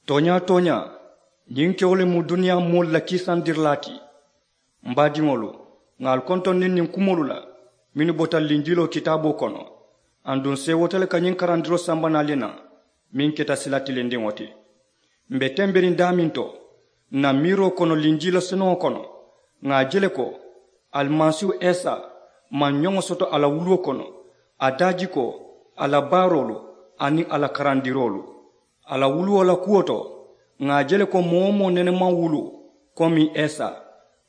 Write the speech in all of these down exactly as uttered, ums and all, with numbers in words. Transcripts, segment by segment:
Tooñaa-tooñaa, ñiŋ kewo le mu duniyaa moolu la kiisandirilaa ti. M baadiŋolu, ŋà ali kontondi niŋ kumoolu la mennu bota linjiloo kitaaboo kono. Aduŋ seewoota le ka ñiŋ karandiroo samba naŋ ali ye naŋ, meŋ keta sila tilindiŋo ti. M be tembiriŋ daameŋ to, ǹ na miiroo kono linjila senuŋo kono, ŋà a je le ko alimasiihu isa maŋ ñoŋo soto a la wuluwo kono, a daajikoo, a la baaroolu, aniŋ a la karandiroolu. A la wuluwo la kuwo to, ŋà a je le ko moo-wo-moo nene maŋ wulu komiŋ isa,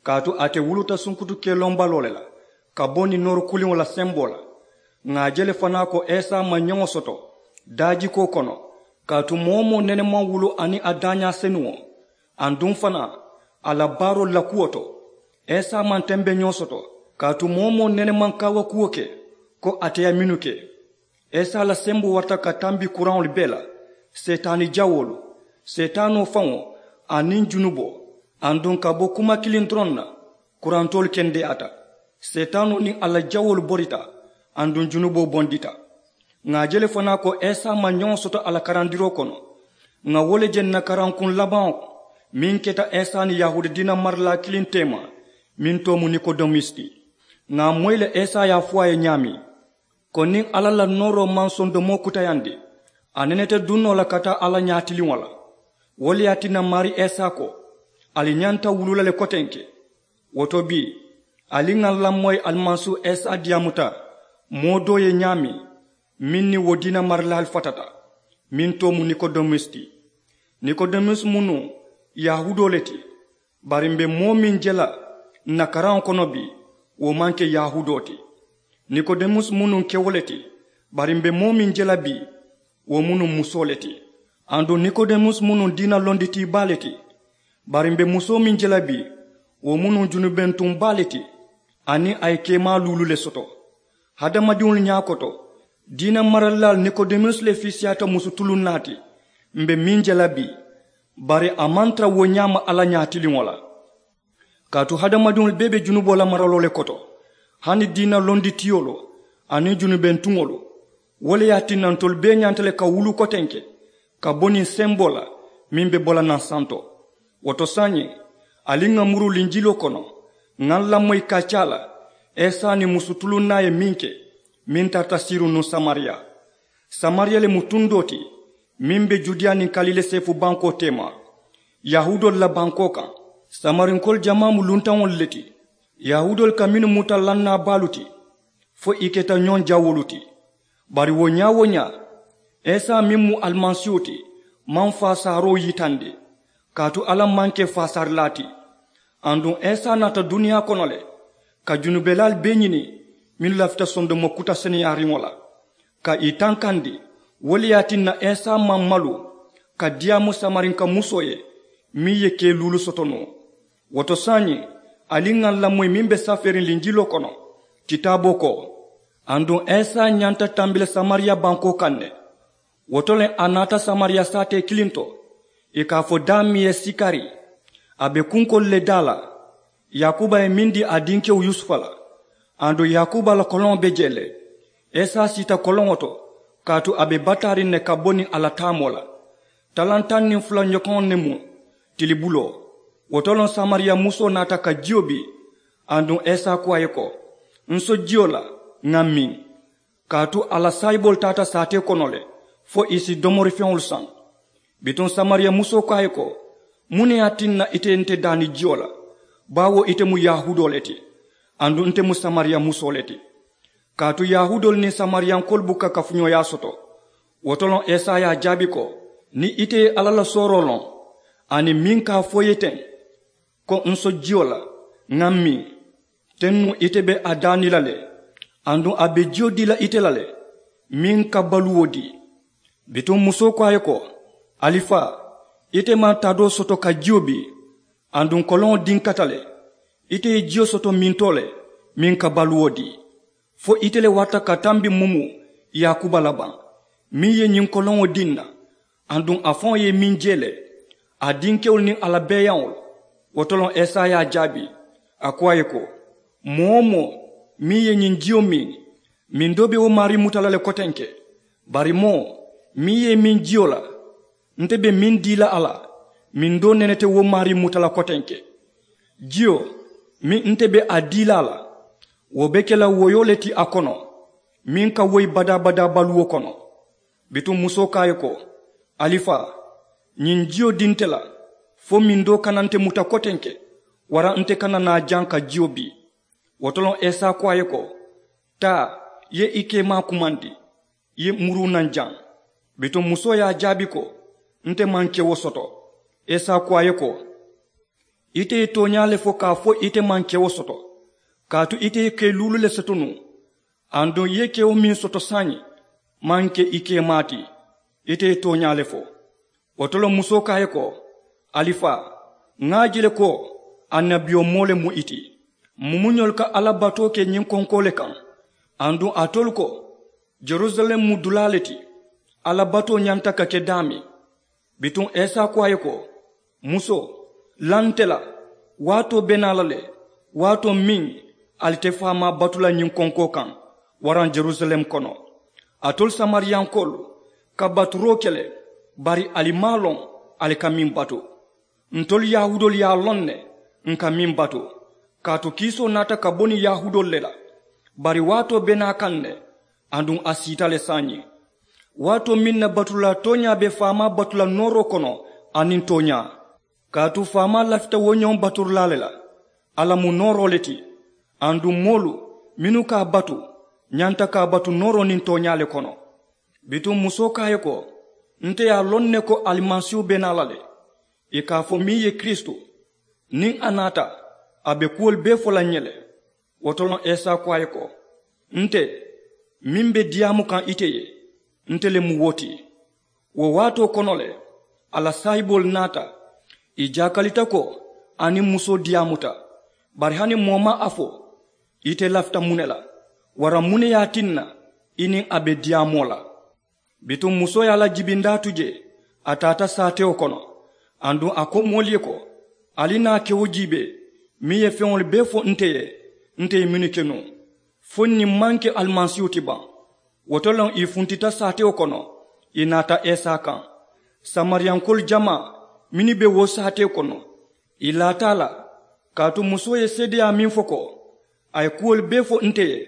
kaatu ate wuluta sunkutu kelombaloo le la ka bo niŋ noori kuliŋo la semboo la. Ŋà a je le fanaa ko isa maŋ ñoŋo soto daajikoo kono, kaatu moo-wo-moo nene maŋ wulu aniŋ a daañaa senuŋo, aduŋ fanaa a la baaroolu la kuwo to. Isa maŋ tembeñoo soto, kaatu moo-wo-moo nene maŋ kaawakuwo ke ko ate ye mennu ke. Isa la semboo warata ka tambi kuraŋolu bee la, seetaani jawoolu, seetaanoo faŋo, aniŋ junuboo. Aduŋ ka bo kuma kiliŋ doroŋ na, kurantoolu kendeyaata. Seetaanoo niŋ a la jawoolu borita, aduŋ junuboo bondita. Ŋà a je le fanaa ko isa maŋ ñoŋo soto a la karandiroo kono. Ŋà wo le je ǹ na karankuŋ labaŋo, meŋ keta isa niŋ yahuuda diina maralaa kiliŋ teema, meŋ too mu nikodemusi ti. Ŋà a moyi le isa ye a fo a ye ñaameŋ, ko niŋ alla la nooroo maŋ sondomoo kutayandi, a neneta duŋ noo la ka taa alla ñaatiliŋo la. Wo le ye a tinna maarii isa ko, ali ñanta wulu la le kotenke. Wo to bii, ali ŋà ǹ lamoyi alimasiihu isa diyaamuta moo doo ye ñaameŋ, meŋ niŋ wo diina maralaalu fatata, meŋ too mu nikodemusi ti. Nikodemusi mu nuŋ yahuudoo le ti, bari m̀ be moo meŋ je la ǹ na karaŋo kono bii, wo maŋ ke yahuudoo ti. Nikodemusi mu nuŋ kewo le ti, bari m̀ be moo meŋ je la bii, wo mu nuŋ musoo le ti. Aduŋ nikodemusi mu nuŋ diina londitii baa le ti, bari m̀ be musoo meŋ je la bii, wo mu nuŋ junubentuŋ baa le ti, aniŋ a ye keemaa luulu le soto. Hadamadiŋolu ñaa koto, diina maralilaalu nikodemusi le fiisiyaata musu tuluŋ naa ti m̀ be meŋ je la bii, bari a maŋ tara wo ñaama alla ñaatiliŋo la. Kaatu hadamadiŋolu bee be junuboo la maraloo le koto, hani diina londitiyoolu aniŋ junubentuŋolu. Wo le ye a tinna ntolu bee ñanta le ka wulu kotenke ka bo niŋ semboo la meŋ be bo la naŋ santo. Wo to saayiŋ, ali ŋà muru linjiloo kono, ŋà ǹ lamoyi ka a caa la isa niŋ musu tuluŋ naa ye meŋ ke, meŋ tarata siiruŋ nuŋ samariya. Samariya le mu tundoo ti meŋ be judiya niŋ kalile seefu bankoo teema, yahuudoolu la bankoo kaŋ. Samarinkoolu jamaa mu luntaŋolu le ti, yahuudoolu ka mennu muta lannaa baalu ti, fo ì keta ñoŋ jawoolu ti. Bari wo ñaa-wo-ñaa, isa meŋ mu alimasiiho ti maŋ faasaaroo yitandi, kaatu alla maŋ ke faasaarilaa ti. Aduŋ isa naata duniyaa kono le ka junubelaalu bee ñini mennu lafita sondomo kuta seneyaariŋo la, ka ì tankandi. Wo le ye a tinna isa maŋ malu ka diyaamu samarinka musoo ye meŋ ye kee luulu soto noo. Wo to saayiŋ, ali ŋà ǹ lamoyi meŋ be safeeriŋ linjiloo kono, kitaaboo ko, aduŋ isa ñanta tambi la samariya bankoo kaŋ ne. Wo to le a naata samariya saatee kiliŋ to, ì ka a fo daameŋ ye sikari. A be kunkoolu le daa la. Yaakuba ye meŋ dii a dinkewo yusufa la, aduŋ yaakuba la koloŋo be jee le. Isa siita koloŋo to, kaatu a be bataariŋ ne ka bo niŋ a la taamoo la. Talaŋ taŋ niŋ fula ñokoŋo ne mu tilibuloo. Wo to loŋ samariya musoo naata ka jiyo bii. Aduŋ isa ko a ye ko, n so jiyo la, ŋà miŋ. Kaatu a la saayiboolu taata saatee kono le, fo ì si domorifeŋolu saŋ. Bituŋ samariya musoo ko a ye ko, muŋ ne ye a tinna ite nte daani jiyo la? Baawo ite mu yahuudoo le ti, aduŋ nte mu samariya musoo le ti. Kaatu yahuudoolu niŋ samariyankoolu buka kafuñooyaa soto. Wo to loŋ isa ye a jaabi ko, niŋ ite ye alla la sooroo loŋ, aniŋ meŋ ka a fo i ye teŋ, ko n so jiyo la, ŋà miŋ, teŋ nuŋ ite be a daani la le, aduŋ a be jiyo dii la ite la le, meŋ ka baluwo dii. Bituŋ musoo ko a ye ko, alifaa, ite maŋ taadoo soto ka jiyo bii, aduŋ koloŋo dinkata le. Ite ye jiyo soto mintoo le, meŋ ka baluwo dii. Fo ite le warata ka tambi mumu yaakuba la baŋ, meŋ ye ñiŋ koloŋo dii n na, aduŋ a faŋo ye meŋ je le, a dinkewolu niŋ a la beeyaŋolu? Wo to loŋ isa ye a jaabi, a ko a ye ko, moo-wo-moo meŋ ye ñiŋ jiyo miŋ, miŋ doo be wo maarii muta la le kotenke. Bari moo meŋ ye i miŋ jiyo la, Nte be meŋ dii la a la, mindoo nene te wo maarii muta la kotenke. Jiyo meŋ nte be a dii la a la, wo be ke la woyoo le ti a kono, meŋ ka woyi badaa-badaa baluwo kono. Bituŋ musoo ko a ye ko, alifaa, ñiŋ jiyo dii nte la, fo mindoo kana nte muta kotenke, waraŋ nte kana naa jaŋ ka jiyo bii. Wo to loŋ esa ko a ye ko, taa, i ye i keemaa kumandi, i ye muruu naŋ jaŋ. Bituŋ musoo ye a jaabi ko, nte maŋ kewo soto. Esa ko a ye ko, ite ye tooñaa le fo ka a fo ite maŋ kewo soto, kaatu ite ye kee luulu le soto nuŋ, aduŋ i ye kewo meŋ soto saayiŋ maŋ ke i keemaa ti. Ite ye tooñaa le fo. Wo to le musoo ko a ye ko, alifaa, ŋa a je le ko annabiyomoo le mu i ti. Mumuñolu ka alla batoo ke ñiŋ konkoo le kaŋ, aduŋ alitolu ko, jerusalem mu dulaa le ti, alla batoo ñanta ka ke daameŋ. Bituŋ esa ko a ye ko, musoo, la nte la, waatoo be naa la le, waatoo meŋ ali te faamaa batu la ñiŋ konkoo kaŋ waraŋ jerusalem kono. Alitolu samariyankoolu ka baturoo ke le, bari ali maŋ a loŋ ali ka meŋ batu. Ntolu yahuudoolu ye a loŋ ne, ǹ ka meŋ batu, kaatu kiisoo naata ka bo niŋ yahuudoolu le la. Bari waatoo be naa kaŋ ne, aduŋ a siita le saayiŋ, waatoo meŋ na batulaa tooñaa be faamaa batu la nooroo kono aniŋ tooñaa. Kaatu faamaa lafita wo ñoŋ baturulaa le la, alla mu nooroo le ti, aduŋ moolu mennu ka a batu ñanta ka a batu nooroo niŋ tooñaa le kono. Bituŋ musoo ko a ye ko, nte ye a loŋ ne ko alimasiihu be naa la le, ì ka a fo meŋ ye kiristu, niŋ a naata, a be kuwolu bee fo la ǹ ye le. Wo to loŋ esa ko a ye ko, nte meŋ be diyaamu kaŋ ite ye, nte le mu wo ti. Wo waatoo kono le, a la saayiboolu naata, ì jaakalita ko a niŋ musoo diyaamuta. Bari hani moo maŋ a fo, ite lafita muŋ ne la, waraŋ muŋ ne ye a tinna i niŋ a be diyaamoo la? Bituŋ musoo ye a la jibindaa tu jee, a taata saatewo kono. Aduŋ a ko moolu ye ko, ali naa kewo jiibee meŋ ye feŋolu bee fo nte ye, nte ye mennu ke nuŋ, fo ñiŋ maŋ ke alimasiihu ti baŋ? Wo to loŋ ì funtita saatewo kono, ì naata esa kaŋ. Samariyankoolu jamaa mennu be wo saatewo kono, ì laata a la, kaatu musoo ye seedeyaa meŋ fo ko, a ye kuwolu bee fo nte ye,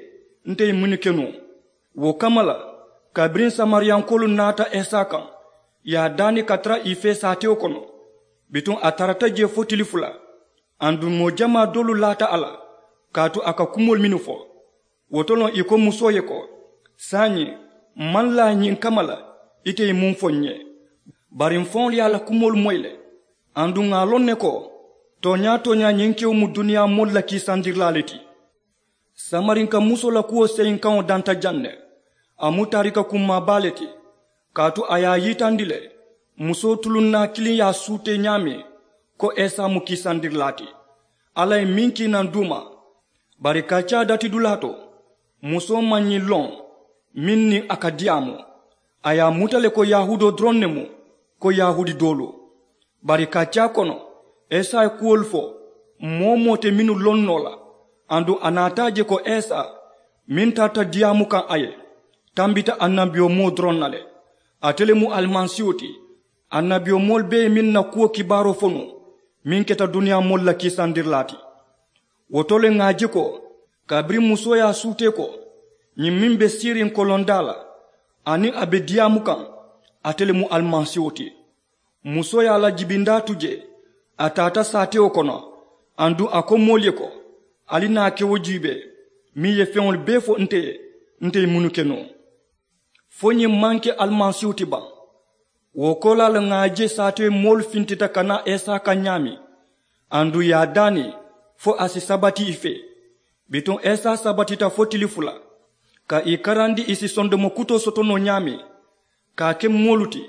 nte ye mennu ke nuŋ. Wo kamma la, kabiriŋ samariyankoolu naata esa kaŋ, ì ye a daani ka tara ì fee saatewo kono. Bituŋ a tarata jee fo tili fula. Aduŋ moo jamaa doolu laata a la, kaatu a ka kumoolu mennu fo. Wo to loŋ ì ko musoo ye ko, saayiŋ, m maŋ laa ñiŋ kamma la ite ye muŋ fo ǹ ye. Bari m faŋolu ye a la kumoolu moyi le. Aduŋ ŋà a loŋ ne ko, tooñaa-tooñaa ñiŋ kewo mu duniyaa moolu la kiisandirilaa le ti. Samarinka musoo la kuwo seyinkaŋo danta jaŋ ne. A mu taarika kummaa baa le ti, kaatu a ye a yitandi le, musoo tulunnaa kiliŋ ye a suutee ñaameŋ, ko esa mu kiisandirilaa ti. Alla ye meŋ kii naŋ duuma. Bari kaccaa datidulaa to, musoo maŋ ñiŋ loŋ, meŋ niŋ a ka diyaamu. A ye a muta le ko yahuudoo doroŋ ne mu, ko yahuudi doolu. Bari kaccaa kono, esa ye kuwolu fo moo-wo-moo te mennu loŋ noo la. Aduŋ a naata a je ko esa meŋ tarata diyaamu kaŋ a ye, tambita annabiyomoo doroŋ na le. Ate le mu alimasiiho ti, annabiyomoolu bee ye meŋ na kuwo kibaaroo fo nuŋ, meŋ keta duniyaa moolu la kiisandirilaa ti. Wo to le ŋà a je ko, kabiriŋ musoo ye a suutee ko, ñiŋ meŋ be siiriŋ kolondaa la, aniŋ a be diyaamu kaŋ, ate le mu alimasiiho ti. Musoo ye a la jibindaa tu jee, a taata saatewo kono. Aduŋ a ko moolu ye ko, ali naa kewo jiibee meŋ ye feŋolu bee fo nte ye, nte ye mennu ke nuŋ. Fo ñiŋ maŋ ke alimasiihu ti baŋ? Wo koolaa le ŋà a je saatewo moolu fintita ka naa esa kaŋ ñaameŋ, aduŋ ì ye a daani fo a si sabati ì fee. Bituŋ esa sabatita fo tili fula, ka ì karandi ì si sondomo kutoo soto noo ñaameŋ, ka a ke moolu ti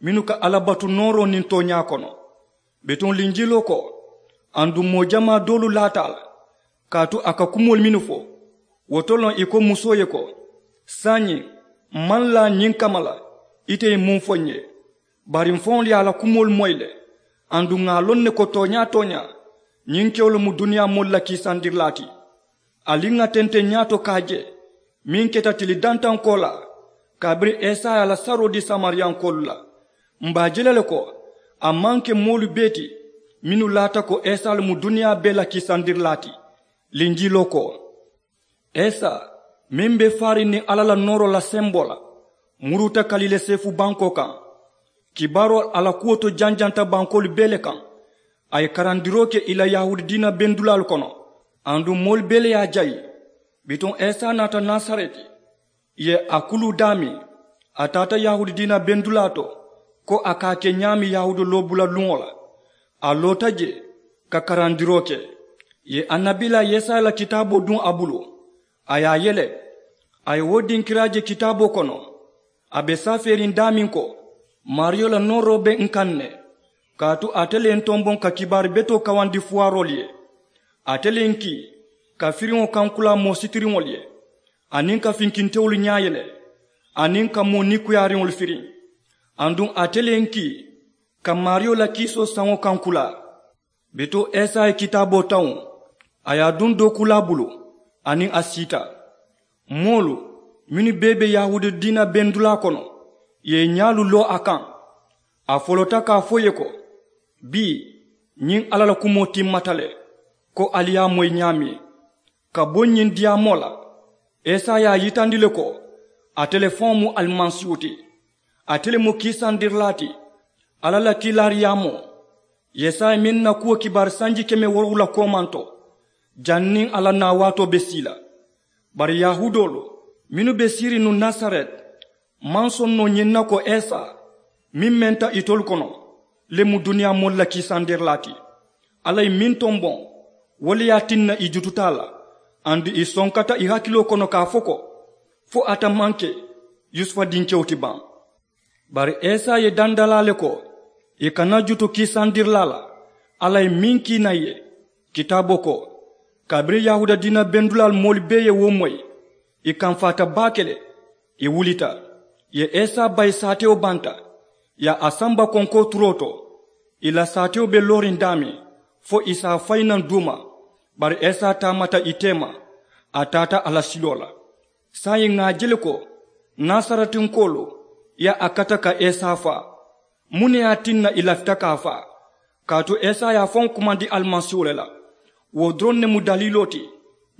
mennu ka alla batu nooroo niŋ tooñaa kono. Bituŋ linjiloo ko, aduŋ moo jamaa doolu laata a la, kaatu a ka kumoolu mennu fo. Wo to loŋ ì ko musoo ye ko, saayiŋ, m maŋ laa ñiŋ kamma la ite ye muŋ fo ǹ ye. Bari m faŋolu ye a la kumoolu moyi le. Aduŋ ŋà a loŋ ne ko tooñaa-tooñaa, ñiŋ kewo le mu duniyaa moolu la kiisandirilaa ti. Ali ŋà tenteŋ ñaato ka a je, meŋ keta tili dantaŋ koolaa, kabiriŋ esa ye a la saroo dii samariyankoolu la. M be a je la le ko a maŋ ke moolu bee ti mennu laata ko isa le mu duniyaa bee la kiisandirilaa ti. Linjiloo ko isa meŋ be faariŋ niŋ alla la nooroo la semboo la muruuta kaliile seefu bankoo kaŋ. Kibaaroo a la kuwo to janjanta bankoolu bee le kaŋ. A ye karandiroo ke ì la yahuudi diina bendulaalu kono. Aduŋ moolu bee le ye a jayi. Bituŋ isa naata nasareti ì ye a kuluu daamiŋ. A taata yahuudi diina bendulaa to ko a ka a ke ñaameŋ yahuudi loobula luŋo la. A loota jee ka karandiroo ke ì ye annabiilaa yesaya la kitaaboo duŋ a bulu. A ye a yele a ye wo dinkiraa je kitaaboo kono. A be safeeriŋ daamiŋ ko maariyo la nooroo be ǹ kaŋ ne kaatu ate le ye ǹ tomboŋ ka kibaari betoo kawandi fuwaaroolu ye. Ate le ye ǹ kii ka firiŋo kankulaa moo sitiriŋolu ye aniŋ ka finkintewolu ñaayele aniŋ ka moo nikuyaariŋolu firiŋ. Aduŋ ate le ye ǹ kii ka maariyo la kiisoo saŋo kankulaa. Bituŋ isa ye kitaaboo tawuŋ a ye a duŋ dookuulaa bulu aniŋ a siita. Moolu mennu bee be yahuudi diina bendulaa kono ì ye ì ñaalu loo a kaŋ. A folota ka a fo ì ye ko bii ñiŋ alla la kumoo timmata le ko ali ye a moyi ñaameŋ. Ka bo ñiŋ diyaamoo la isa ye a yitandi le ko ate le faŋo mu alimasiihu ti. Ate le mu kiisandirilaa ti alla la kiilaariyaamoo. Yesaya meŋ na kuwo kibaari sanji keme woorowula koomanto janniŋ a la naa waatoo be sii la. Bari yahuudoolu mennu be siiriŋ nuŋ nasareti maŋ soŋ noo ñiŋ na ko isa meŋ menta itolu kono le mu duniyaa moolu la kiisandirilaa ti. Alla ye meŋ tomboŋ wo le ye a tinna ì jututa a la aduŋ ì sonkata ì hakiloo kono ka a fo ko fo ate maŋ ke yusufa dinkewo ti baŋ. Bari isa ye dandalaa le ko ì kana jutu kiisandirilaa la. Alla ye meŋ kii naŋ ì ye kitaaboo ko kabiriŋ yahuuda diina bendulaalu moolu bee ye wo moyi ì kamfaata baake le. Ì wulita ì ye isa bayi saatewo banta ì ye a samba konkoo turoo to. Ì la saatewo be looriŋ daameŋ fo ì si a fayi naŋ duuma. Bari isa taamata ì teema a taata a la siloo la. Saayiŋ ŋà a je le ko nasaretinkoolu ye a kata ka isa faa. Muŋ ne ye a tinna ì lafita ka a faa? Kaatu isa ye a faŋo kumandi alimasiiwo le la. Wo doroŋ ne mu daliiloo ti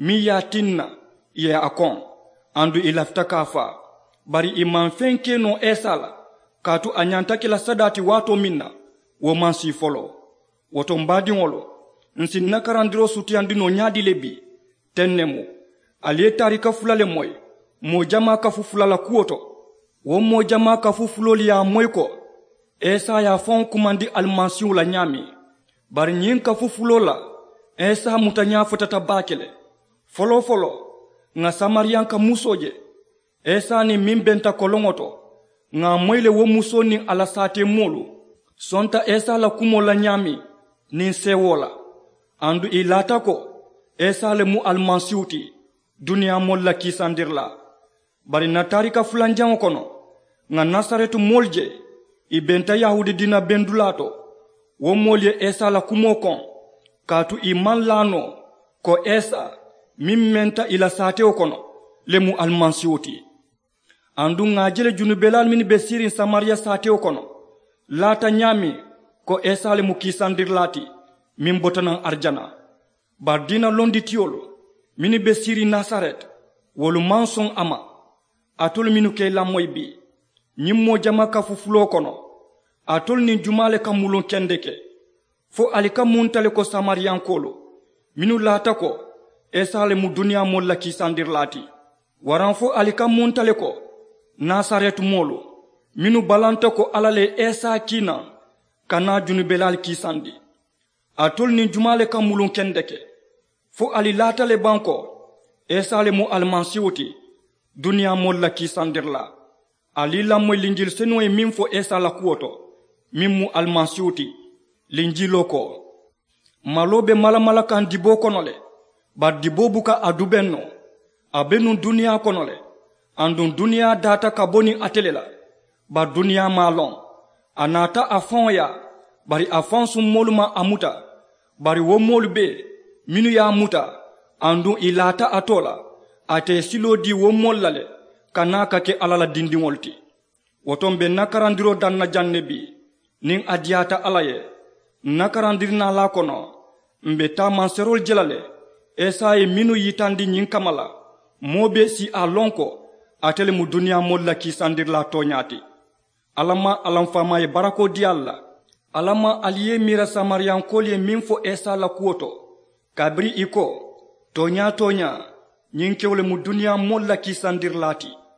meŋ ye a tinna ì ye a koŋ aduŋ ì lafita ka a faa. Bari ì maŋ feŋ ke noo isa la kaatu a ñanta ke la sadaa ti waatoo meŋ na wo maŋ sii foloo. Wo to m baadiŋolu, ǹ si ǹ na karandiroo sutiyandi noo ñaadii le bii? Teŋ ne mu. Ali ye taarika fula le moyi moo jamaa kafu fula la kuwo to. Wo moo jamaa kafu fuloolu ye a moyi ko isa ye a faŋo kumandi alimasiiwo la ñaameŋ. Bari ñiŋ kafu fuloo la isa mutañaa futata baake le. Foloo foloo ŋà samariyanka musoo je isa niŋ meŋ benta koloŋo to. Ŋà a moyi le wo musoo niŋ a la saateemoolu sonta isa la kumoo la ñaameŋ niŋ seewoo la. Aduŋ ì laata ko isa le mu alimasiihu ti duniyaa moolu la kiisandirilaa. Bari ǹ na taarika fulanjaŋo kono ŋà nasareti moolu je ì benta yahuudi diina bendulaa to. Wo moolu ye isa la kumoo koŋ kaatu ì maŋ laa noo ko isa meŋ menta ì la saatewo kono le mu alimasiihu ti. Aduŋ ŋà a je le junubelaalu mennu be siiriŋ samariya saatewo kono laata ñaameŋ ko isa le mu kiisandirilaa ti meŋ bota naŋ arijana. Bari diina londitiyolu mennu be siiriŋ nasareti wolu maŋ soŋ a ma. Alitolu mennu ka i lamoyi bii ñiŋ moo jama kafu fuloo kono, alitolu niŋ jumaa le ka muluŋ kendeke? Fo ali ka munta le ko samariyankoolu mennu laata ko isa le mu duniyaa moolu la kiisandirilaa ti? Waraŋ fo ali ka munta le ko nasareti moolu mennu balanta ko alla le ye isa kii naŋ ka naa junubelaalu kiisandi? Alitolu niŋ jumaa le ka muluŋ kendeke? Fo ali laata le baŋ ko isa le mu alimasiihu ti duniyaa moolu la kiisandirilaa? Ali i lamoyi linjili senuŋo ye meŋ fo isa la kuwo to meŋ mu alimasiihu ti. Linjiloo ko maloo be malamala kaŋ diboo kono le. Bari diboo buka a dubeŋ noo. A be nuŋ duniyaa kono le. Aduŋ duniyaa daata ka bo niŋ ate le la. Bari duniyaa maŋ a loŋ. A naata a faŋo yaa. Bari a faŋ summoolu maŋ a muta. Bari wo moolu bee mennu ye a muta aduŋ ì laata a too la, ate ye siloo dii wo moolu la le ka naa ka ke alla la dindiŋolu ti. Wo to m̀ be ǹ na karandiroo daŋ na jaŋ ne bii. Niŋ a diyaata alla ye, ǹ na karandirinaalaa kono, m̀ be taamanseeroolu je la le. Isa ye mennu yitandi ñiŋ kamma la, moo bee si a loŋ ko ate le mu duniyaa moolu la kiisandirilaa tooñaa ti. Alla maŋ a la m̀ faamaa ye barakoo dii ali la. Alla maŋ ali ye ì miira samariyankoolu ye meŋ fo isa la kuwo to, kabiriŋ ì ko, tooñaa tooñaa, ñiŋ kewo le mu duniyaa moolu la kiisandirilaa ti.